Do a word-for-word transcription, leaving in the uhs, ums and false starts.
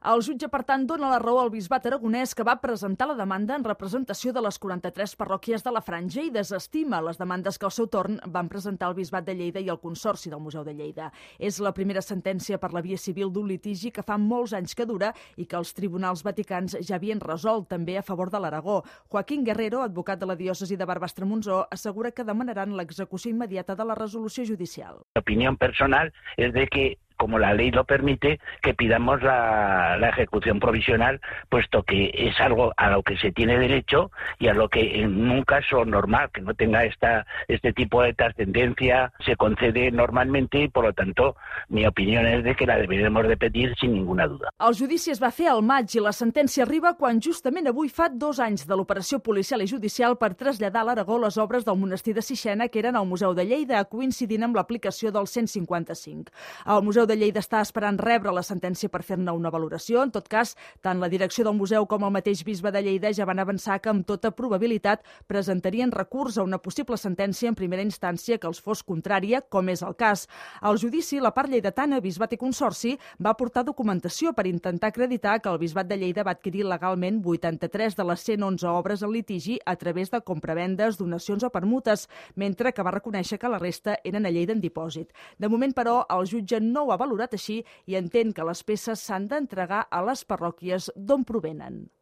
El jutge, per tant, dona la raó al bisbat aragonès, que va presentar la demanda en representació de les quaranta-tres parròquies de la Franja i desestima les demandes que al seu torn van presentar el bisbat de Lleida i el Consorci del Museu de Lleida. És la primera sentència per la via civil d'un litigi que fa molts anys que dura i que els tribunals vaticans ja havien resolt, també a favor de l'Aragó. Joaquín Guerrero, advocat de la diòcesi de Barbastre-Montsó, assegura que demanaran l'execució immediata de la resolució judicial. Mi opinión personal es de que, como la ley lo permite, que pidamos la, la ejecución provisional, puesto que es algo a lo que se tiene derecho y a lo que en un caso normal, que no tenga esta, este tipo de trascendencia, se concede normalmente y, por lo tanto, mi opinión es de que la deberemos de pedir sin ninguna duda. El judici es va fer al maig i la sentència arriba quan justament avui fa dos anys de l'operació policial i judicial per traslladar a l'Aragó les obres del monestir de Sixena, que eren al Museu de Lleida, coincidint amb l'aplicació del cent cinquanta-cinc. El Museu de Lleida està esperant rebre la sentència per fer-ne una valoració. En tot cas, tant la direcció del museu com el mateix bisbe de Lleida ja van avançar que amb tota probabilitat presentarien recurs a una possible sentència en primera instància que els fos contrària, com és el cas. Al judici, la part lleidatana, bisbat i consorci, va aportar documentació per intentar acreditar que el bisbat de Lleida va adquirir legalment vuitanta-tres de les cent onze obres al litigi a través de compravendes, donacions o permutes, mentre que va reconèixer que la resta eren a Lleida en dipòsit. De moment, però, el jutge no ho ha valorat així i entén que les peces s'han d'entregar a les parròquies d'on provenen.